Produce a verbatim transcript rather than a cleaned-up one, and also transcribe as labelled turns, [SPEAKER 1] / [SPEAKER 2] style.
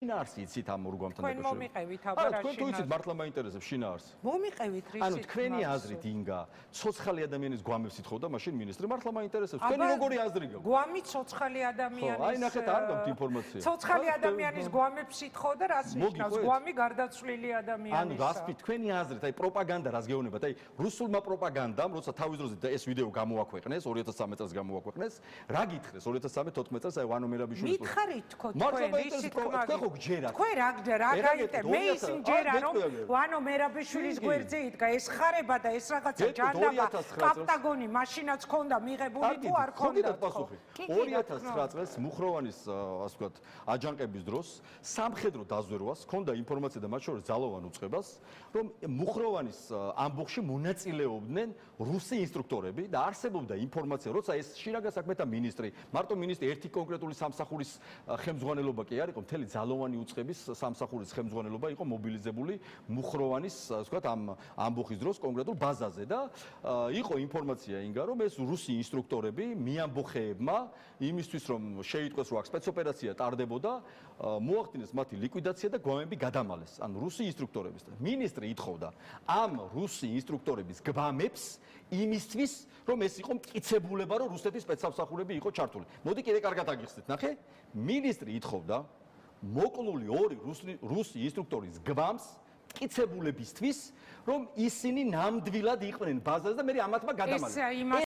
[SPEAKER 1] შინაარსი იცით ამ ორგვამთან
[SPEAKER 2] დაკავშირებით. თქვენ მომიყევით აბა რა
[SPEAKER 1] შინაარსი? თქვენ თუ იცით მართლა მაინტერესებს შინაარსი.
[SPEAKER 2] მომიყევით რისით?
[SPEAKER 1] ანუ თქვენი აზრით ინგა ცოცხალი ადამიანის გვამებს ითხოვდა მაშინ მინისტრი მართლა მაინტერესებს. თქვენი როგორი აზრი გაქვთ?
[SPEAKER 2] გვამი ცოცხალი ადამიანის.
[SPEAKER 1] ხო, აი ნახეთ არ გაქვთ ინფორმაცია.
[SPEAKER 2] ცოცხალი ადამიანის გვამებს ითხოვდა რას ნიშნავს? გვამი გარდაცვლილი ადამიანის.
[SPEAKER 1] ანუ გასწრით თქვენი აზრით, აი პროპაგანდა რას გეუბნებათ? აი რუსულმა პროპაგანდამ, როცა თავის დროზე ეს ვიდეო გამოაქვეყნეს, ორი ათას ცხრამეტ წელს გამოაქვეყნეს, რა გითხრეს ორი ათას თერთმეტ თოთხმეტ წელს აი ვანო მერაბიშვილის
[SPEAKER 2] მითხარით თქო თქვენ ისიც
[SPEAKER 1] თქვენ ხო გჯერათ.
[SPEAKER 2] თქვენ რა გჯერა? რა გაიტე? მე ისინი ჯერა რომ ვანო მერაბიშვილის გვერდზე იდგა ეს ხარება და ეს რაღაცა ჯანდაბა კაპტაგონი მაშინაც ქონდა მიღებული თუ არ ქონდა?
[SPEAKER 1] ორი ათას ცხრა წელს მუხროვანის ასე ვთქვათ აჯანყების დროს სამხედრო დაზვერვას ქონდა ინფორმაცია და მათ შორის ძალოვან უწყებას რომ მუხროვანის ამბოხში მონაწილეობდნენ რუსი ინსტრუქტორები და არსებობდა ინფორმაცია როცა ეს შინაგან საქმეთა მინისტრი მარტო მინისტრი ერთი კონკრეტული სამსახურის ხელმძღვანელობა კი არ იყო მთელი ძალოვანი უწყების სამსახურის ხელმძღვანელობა იყო მობილიზებული მუხროვანის ასე ვთქვათ ამ ამბოხის დროს კონკრეტულ ბაზაზე და იყო ინფორმაცია ინგა რომ ეს რუსი ინსტრუქტორები მიამბოხეებმა იმისთვის რომ შეიტყვეს რომ აქ სპეცოპერაცია ტარდებოდა მოახდინეს მათი ლიკვიდაცია და გვამები გადამალეს ანუ რუსი ინსტრუქტორების და მინისტრი ითხოვდა ამ რუსი ინსტრუქტორების გვამებს იმისთვის რომ ეს იყო მტკიცებულება რომ რუსეთის სპეცსამსახურები იყო ჩართული მოდი კიდე კარგად აგიხსნით ნახე მინისტრი ითხოვდა მოკლული ორი რუსი ინსტრუქტორის გვამს მტკიცებულებისთვის რომ ისინი ნამდვილად იყვნენ ბაზაზე და მე ამათმა გადამალეს